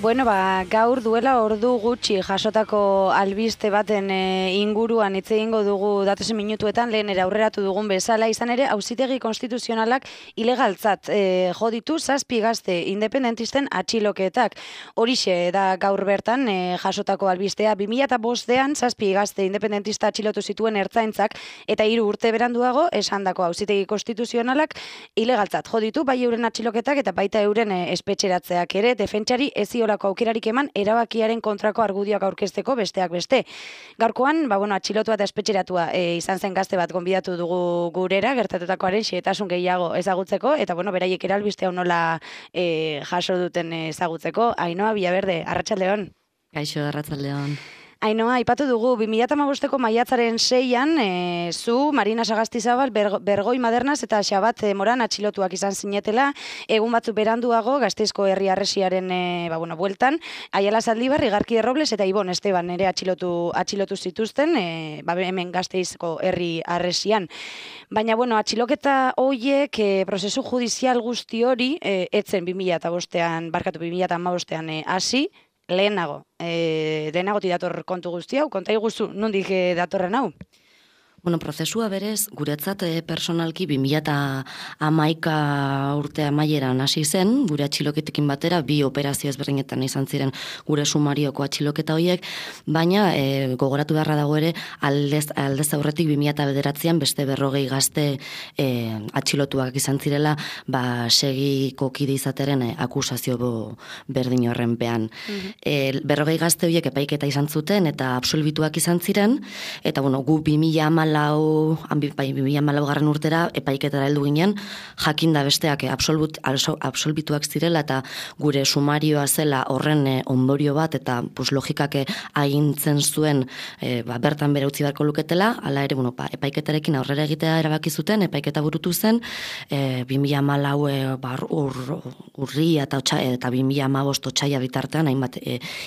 Bueno, gaur duela ordu gutxi jasotako albiste baten inguruan hitz egingo dugu datozen minutuetan, lehen aurreratu dugun bezala, izan ere, Auzitegi Konstituzionalak ilegaltzat jo ditu 7 gazte independentisten atxiloketak. Horixe da gaur bertan jasotako albistea. 2005ean 7 gazte independentista atxilotu zituen ertzaintzak eta 3 urte beranduago esandako Auzitegi Konstituzionalak ilegaltzat jo ditu bai euren atxiloketak eta baita euren espetxeratzeak ere. Defentsari eziolako aukerarik eman erabakiaren kontrako argudioak aurkezteko besteak beste. Gaurkoan, atxilotua eta espetxeratua izan zen gazte bat gonbidatu dugu gurera, gertatutakoaren xehetasun gehiago ezagutzeko, eta beraiek ere albiste hau nola jaso duten ezagutzeko. Ainhoa Villaverde, arratsaldeon. Kaixo, arratsaldeon. Ainhoa, aipatu dugu, 2015ko maiatzaren 6an, zu, Marina Sagastizabal, Bergoi Madernaz eta Xabat Moran atxilotuak izan zinetela, egun batzuk beranduago, Gasteizko herri harresiaren bueltan, Aiala Zaldibar, Igarki Robles eta Ibon Esteban ere atxilotu zituzten, hemen Gasteizko herri harresian. Baina, atxiloketa hoiek prozesu judizial guzti hori, etzen 2015ean hasi, lehenago dator kontu guzti hau, konta iguzu, nondik datorren hau? Prozesua berez, guretzat personalki 2011 urte amaieran hasi zen, gure atxiloketekin batera, 2 operazio ezberdinetan izan ziren gure sumarioko atxiloketa horiek, baina gogoratu beharra dago ere, aldez aurretik 2009an beste 40 gazte atxilotuak izan zirela, segiko kide izateren akusazio berdin horrenpean. 40 gazte horiek epaiketa izan zuten eta absolbituak izan ziren, eta gu 2014 garren urtera epaiketara heldu ginen, jakinda besteak absolbituak zirela eta gure sumarioa zela horren ondorio bat eta logikak agintzen zuen bertan bere utzi beharko luketela, hala ere epaiketarekin aurrera egitea erabaki zuten, epaiketa burutu zen, 2014 urria eta 2015 otsaila bitartean, hainbat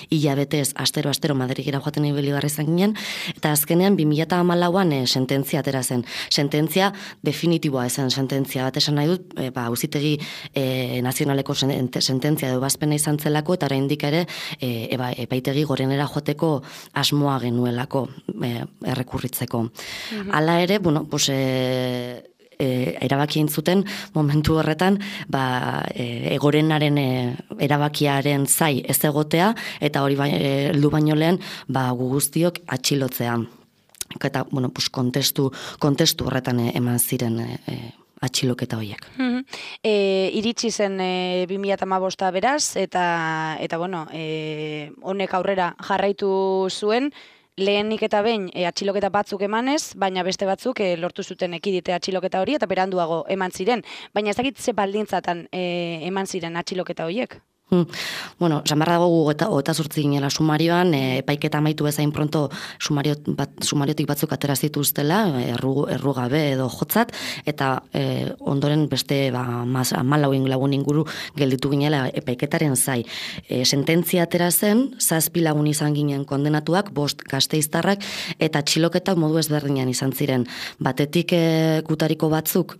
hilabetez astero Madrilera joaten ibili izan ginen, eta azkenean 2014an sententzia atera zen. Sententzia definitiboa ezen sententzia bat esan nahi dut, Auzitegi nazionaleko sententzia edo ebazpena izan zelako, eta oraindik ere epaitegi gorenera joateko asmoa genuelako errekurritzeko. Hala ere, erabaki zuten momentu horretan gorenaren erabakiaren zai ez egotea, eta hori heldu baino lehen gu guztiok atxilotzea. Eta, kontestu horretan eman ziren atxiloketa horiek. Iritsi zen 2015 beraz, eta honek aurrera jarraitu zuen, lehenik eta behin atxiloketa batzuk emanez, baina beste batzuk lortu zuten ekidite atxiloketa hori, eta beranduago eman ziren. Baina ez dakit ze baldintzatan eman ziren atxiloketa horiek? Samarra dago 28 ginela sumarioan, epaiketa amaitu bezain pronto sumariotik batzuk atera zituztela, errugabe edo jotzat, eta ondoren beste 14 lagun inguru gelditu ginela epaiketaren zai. Sententzia atera zen, 7 lagun izan ginen kondenatuak, 5 gasteiztarrak, eta atxiloketak modu ezberdinean izan ziren. Batetik gutariko batzuk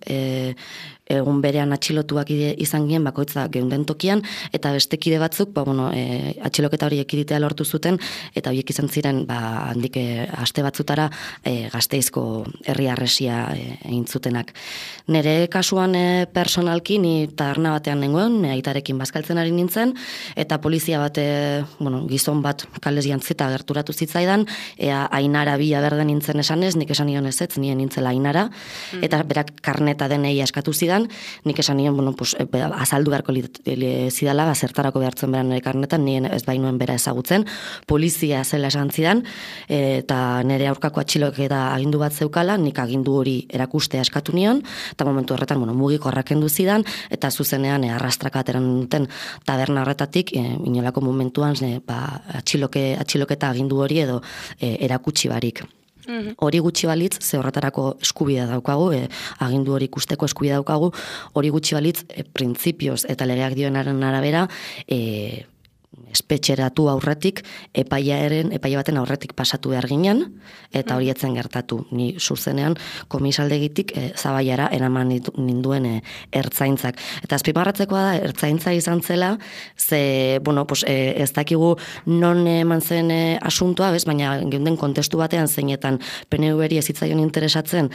egun berean atxilotuak izan ginen bakoitza geunden tokian, eta beste kide batzuk, atxiloketa hori ekiditea lortu zuten, eta horiek izan ziren, handik aste batzutara Gasteizko herri harresia egin zutenak. Nere kasuan personalki, ni taberna batean nengoen, aitarekin bazkaltzen ari nintzen, eta polizia bat, gizon bat kalez jantzita gerturatu zitzaidan, Ainara Villaverde nintzen esanez, nik esan nion ez, nien nintzela Ainara, eta berak karneta denei askatu zidan, nik esan nion, azaldu beharko zidala, zertarako behartzen beran nire karnetan, nien ez bainuen bera ezagutzen, polizia zela esan zidan, eta nire aurkako atxiloketa agindu bat zeukala, nik agindu hori erakustea eskatu nion, eta momentu horretan, mugiko kendu zidan, eta zuzenean arrastraka ateran duten taberna horretatik, inolako momentuan atxiloketa agindu hori edo erakutsi barik. Hori gutxi balitz, ze horretarako eskubidea daukagu, agindu hori ikusteko eskubidea daukagu, hori gutxi balitz, printzipioz eta legeak dioenaren arabera, espetxeratu aurretik, epaia baten aurretik pasatu behar ginen, eta hori etzen gertatu. Ni zuzenean komisaldegitik Zabaiara eraman ninduen ertzaintzak. Eta azpimarratzekoa da, ertzaintza izan zela, ze, bueno, pues, ez dakigu non eman zen asuntoa, baina geunden kontestu batean zeinetan PNV-ri ez zitzaion interesatzen,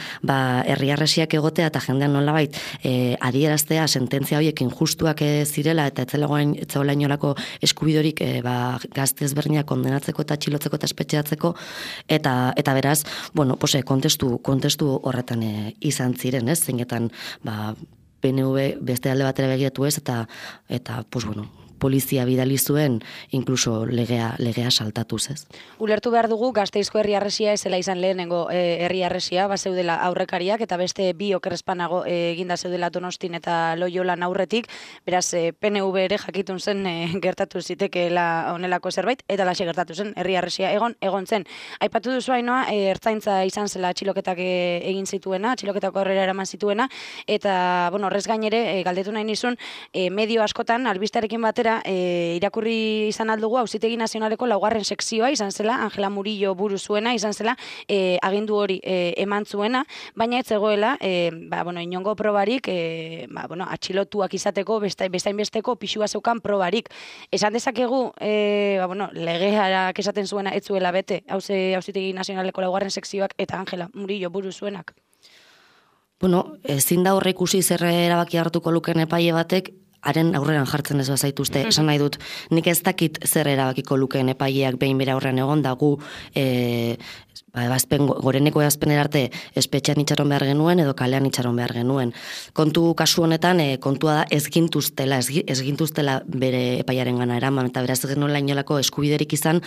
herriarresiak egotea eta jendean nolabait adieraztea sententzia horiek injustuak zirela eta etzegoela inolako eskubidorik gazte ezberdinak kondenatzeko eta txilotzeko eta espetxeatzeko eta beraz, bueno, pues, kontestu horretan izan ziren, ez? Zeinetan, PNV beste alde batera begiratu ez eta pues, bueno, polizia bidali zuen, inkluso legea saltatuz, ez? Ulertu behar dugu, Gasteizko herriarresia ezela izan lehenengo herriarresia, zeudela aurrekariak, eta beste bi okerrezpanago eginda zeudela Donostin eta Loiolan aurretik, beraz, PNV ere jakitun zen gertatu zitekeela honelako zerbait, eta laxe gertatu zen herriarresia egon zen. Aipatu duzu Ainoa, ertzaintza izan zela atxiloketak egin zituena, atxiloketako aurrera eraman zituena, eta, bueno, horrez gainere, galdetu nahi nizun, medio askotan, albistearekin batera, irakurri izan aldugu Auzitegi Nazionaleko laugarren sekzioa izan zela, Angela Murillo buru zuena, izan zela agindu hori eman zuena, baina ez zegoela inongo probarik atxilotuak izateko bestainbesteko pixua zeukan probarik. Esan dezakegu legearak esaten zuena ez zuela bete Auzitegi Nazionaleko laugarren sekzioak eta Angela Murillo buru zuenak? Bueno, ezin da horre ikusi zer erabaki hartuko luken epaile batek, haren aurreran jartzen ez bazaituzte, esan nahi dut, nik ez dakit zer erabakiko lukeen epaileak behin bere aurrean egon da gu goreneko ebazpenera arte espetxean itxaron behar genuen edo kalean itxaron behar genuen. Kontu kasu honetan, kontua da ez gintuztela bere epaiaren gana eraman, eta beraz genuela inolako eskubiderik izan,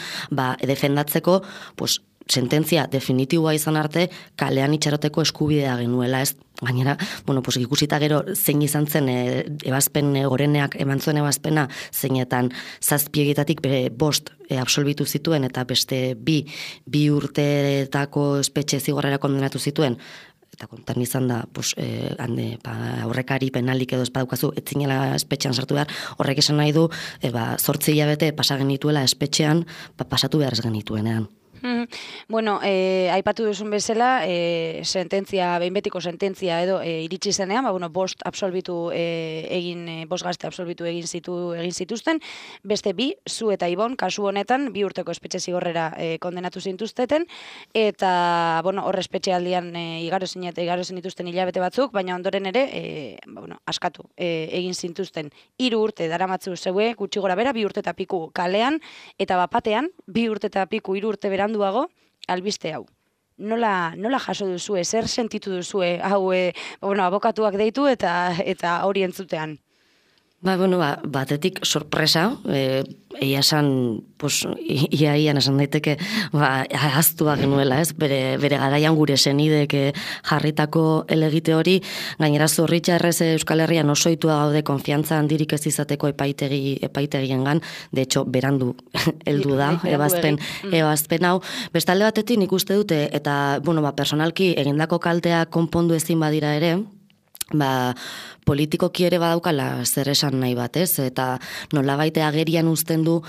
defendatzeko, pues, sententzia definitiboa izan arte kalean itxaroteko eskubidea genuela, ez? Gainera, bueno, pues, ikusita gero zein izan zen ebazpen goreneak eman zuen ebazpena, zeinetan 7 egietatik bere 5 absolbitu zituen eta beste 2 urteetako espetxe zigorrera kondenatu zituen, eta kontan izan da, pues, aurrekari penalik edo espadukazu, etzinela espetxean sartu behar, horrek esan nahi du, 8 hilabete pasa genituela espetxean, pasatu behar ez genituenean. Bueno, aipatu duzun bezala, behin betiko sententzia edo iritsi zenean, 5 absolbitu egin, 5 gazte absolbitu egin zituzten, beste 2, zu eta Ibon, kasu honetan, 2 urteko espetxe zigorrera kondenatu zintuzteten, eta, hor espetxe aldian igaro zinituzten hilabete batzuk, baina ondoren ere, askatu egin zintuzten. 3 urte daramatzu zeue, gutxi gora bera, 2 urte eta piku kalean, eta bapatean, 2 urte eta piku, 3 urte beranduago, albiste hau. Nola jaso duzue, zer sentitu duzue, hau, abokatuak deitu eta hori entzutean? Batetik sorpresa, egia esan, pues, iaian esan daiteke, ahaztua genuela, ez? Bere garaian gure senidek jarritako elegite hori, gainera Zorritxarrez Euskal Herrian osoitua gaude konfiantza handirik ez izateko epaitegiengan, de hecho, berandu heldu da, ebazpen hau. Bestalde batetik nik uste dute, eta, personalki egindako kaltea konpondu ezin badira ere, politikoki ere badaukala zer esan nahi bat, ez? Eta nolabait agerian uzten du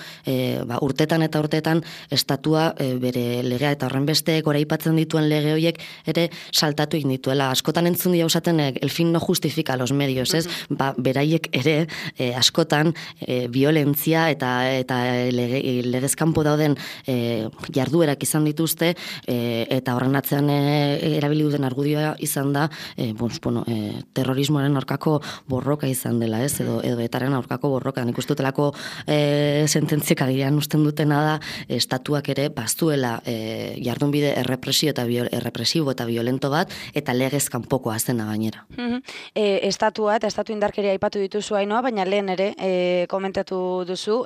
urtetan eta urtetan estatua bere legea eta horren beste goraipatzen dituen lege horiek ere saltatu egin dituela. Askotan entzun dira usaten el fin no justifica los medios, ez? Beraiek ere askotan violentzia eta legezkanpo dauden jarduerak izan dituzte eta horren atzean erabili duten argudioa izan da terrorismoaren aurkako borroka izan dela, ez? Edo etaren aurkako borroka. Nik ustutelako sententziek agian usten dutena da estatuak ere bazuela jardunbide errepresibo eta violento bat eta legez kanpokoa zena gainera. Estatua eta estatu indarkeria aipatu dituzu Ainoa, baina lehen ere komentatu duzu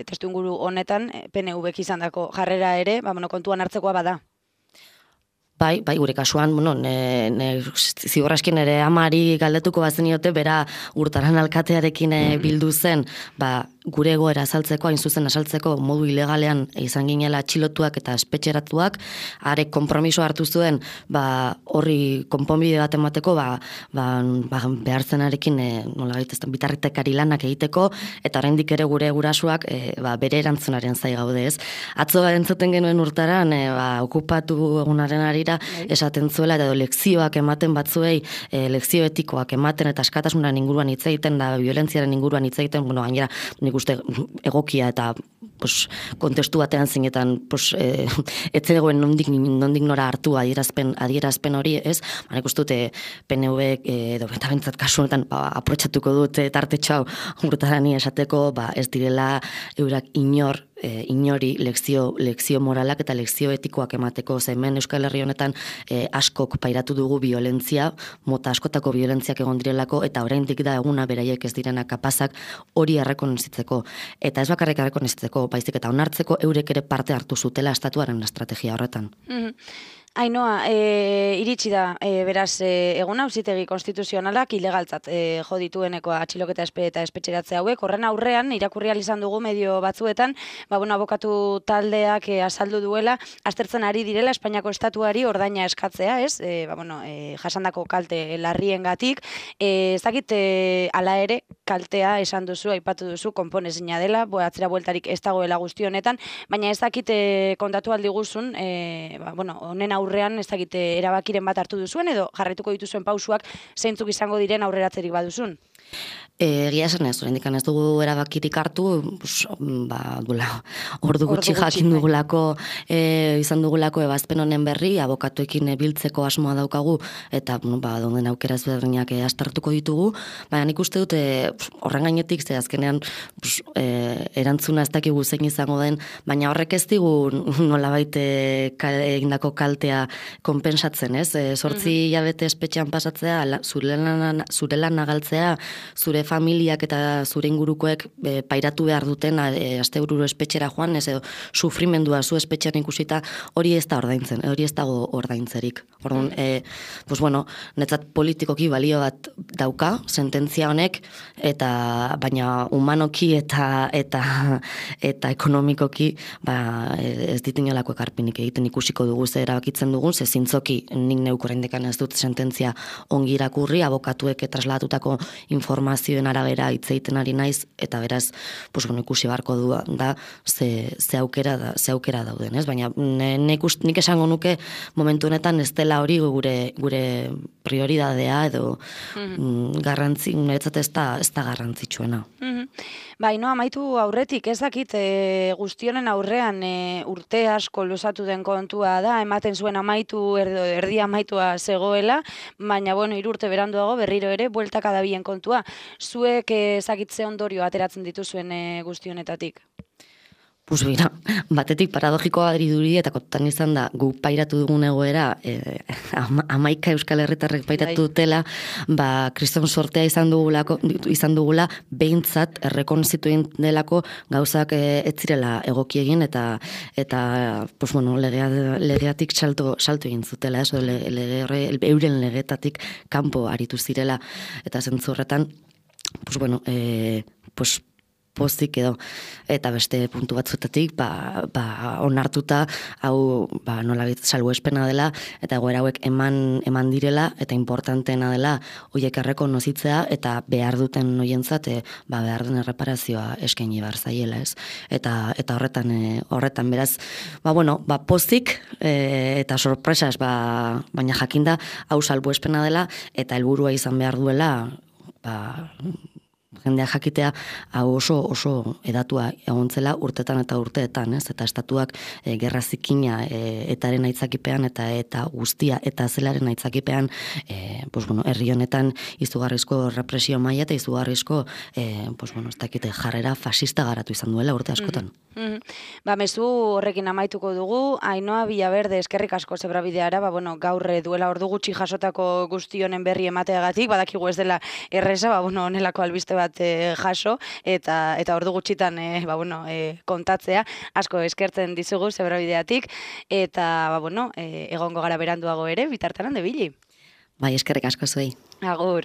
testuinguru honetan PNVk izandako jarrera ere, kontuan hartzekoa bada. Bai, gure kasuan, zigorraskin ere amari galdetuko bazeniote, bera urtaran alkatearekin bildu zen, gure egoera azaltzeko, hain zuzen azaltzeko modu ilegalean izan ginela atxilotuak eta espetxeratuak, arek konpromiso hartu zuen, horri konponbide bat emateko, behartzenarekin nola gaitezten bitartekari lanak egiteko, eta oraindik ere gure gurasuak bere erantzunaren zai gaude, ez. Atzo entzuten genuen urtaran, okupatu egunaren arira, esaten zuela, edo lekzioak ematen batzuei, lekzio etikoak ematen eta askatasunan inguruan hitz egiten da, violentziaren inguruan hitz egiten, gainera, nik uste egokia eta kontestu batean zinetan etzegoen nondik nora hartu adierazpen hori, ez? Nik uste dute PNV edo eta bentsat kasu honetan aprotxatuko dut tartetxo hau urtarani esateko, ez direla eurak inori lekzio moralak eta lekzio etikoak emateko, hemen Euskal Herri honetan askok pairatu dugu violentzia, mota askotako violentziak egon direlako, eta oraindik da eguna beraiek ez direna kapazak hori errekonozitzeko. Eta ez bakarrik errekonozitzeko, baizik eta onartzeko eurek ere parte hartu zutela estatuaren estrategia horretan. Ainhoa, iritsi da, beraz, egun auzitegi konstituzionalak ilegaltzat jo ditueneko atxiloketa eta espetxeratze hauek. Horren aurrean, irakurri ahal izan dugu medio batzuetan, abokatu taldeak azaldu duela, aztertzen ari direla Espainiako estatuari ordaina eskatzea, ez? Jasandako kalte larriengatik. Ez dakit, hala ere, kaltea esan duzu, aipatu duzu, konponezina dela, atzera bueltarik ez dagoela guzti honetan, baina ez dakit kontatu aldiguzun, honen aurrean ez dakit erabakiren bat hartu duzuen edo jarraituko dituzuen pausuak zeintzuk izango diren aurreratzerik baduzun? Egia esan ez, oraindik ez dugu erabakirik hartu, ordu gutxi jakin dugulako, izan dugulako ebazpen honen berri, abokatuekin biltzeko asmoa daukagu, eta dauden aukera ezberdinak astartuko ditugu, baina nik uste dute horren gainetik, ze azkenean erantzuna ez dakigu zein izango den, baina horrek ez digu nolabait egindako kaltea konpensatzen, ez? 8 hilabete espetxean pasatzea, zure lan nagaltzea, zure familiak eta zure ingurukoek pairatu behar duten astebururo espetxera joan, ez edo sufrimendua zu espetxean ikusita, hori ez da ordaintzen, hori ez dago ordaintzerik. Orduan, netzat politikoki balio bat dauka, sententzia honek, baina humanoki eta ekonomikoki ez ditinolako ekarpinik egiten ikusiko dugu ze erabakitzen dugun, ze zintzoki nik neuk oraindik ez dut sententzia ongi irakurri, abokatuek traslatutako informazioen arabera hitz egiten ari naiz, eta beraz, ikusi beharko du da ze aukera dauden, ez? Baina nik esango nuke momentu honetan ez dela hori gure prioridadea edo niretzat ez da garrantzitsuena. Ainhoa, amaitu aurretik, ez dakit guztionen aurrean urte asko luzatu den kontua da, ematen zuen amaitu, erdi amaitua zegoela, baina, 3 urte beranduago berriro ere, bueltaka dabien kontua. Zuek ezakitze ondorio ateratzen dituzuen guztionetatik? Batetik paradogikoa diri eta kontan izan da gu pairatu dugun egoera 11 Euskal Herritarrek pairatu dutela, kriston sortea izan dugula behintzat errekonozitu delako gauzak ez zirela egoki egin eta legeatik salto egin zutela, euren legetatik kanpo aritu zirela, eta zentzu horretan pozik edo, eta beste puntu batzuetatik, onartuta, hau, nolabait salbuespena dela, eta egoera hauek eman direla, eta importanteena dela, horiek errekonozitzea, eta behar duten hoientzat, behar den erreparazioa eskaini behar zaiela, ez? Eta horretan beraz, pozik, eta sorpresas, baina jakinda, hau salbuespena dela, eta helburua izan behar duela, jendea jakitea hau oso edatua egontzela urtetan eta urteetan, ez? Eta estatuak gerra zikina etaren aitzakipean eta guztia eta zelaren aitzakipean herri honetan izugarrizko represio maila eta izugarrizko ez dakite jarrera fascista garatu izan duela urte askotan. Mezu horrekin amaituko dugu, Ainhoa Villaverde eskerrik asko zebrabideara, gaur duela ordu gutxi jasotako guzti honen berri emateagatik, badakigu ez dela erreza, honelako albiste bat jaso, eta ordu gutxitan kontatzea, asko eskertzen dizugu zebrabideatik, eta egongo gara beranduago ere, bitartean hande bili. Bai, eskerrik asko zuei. Agur.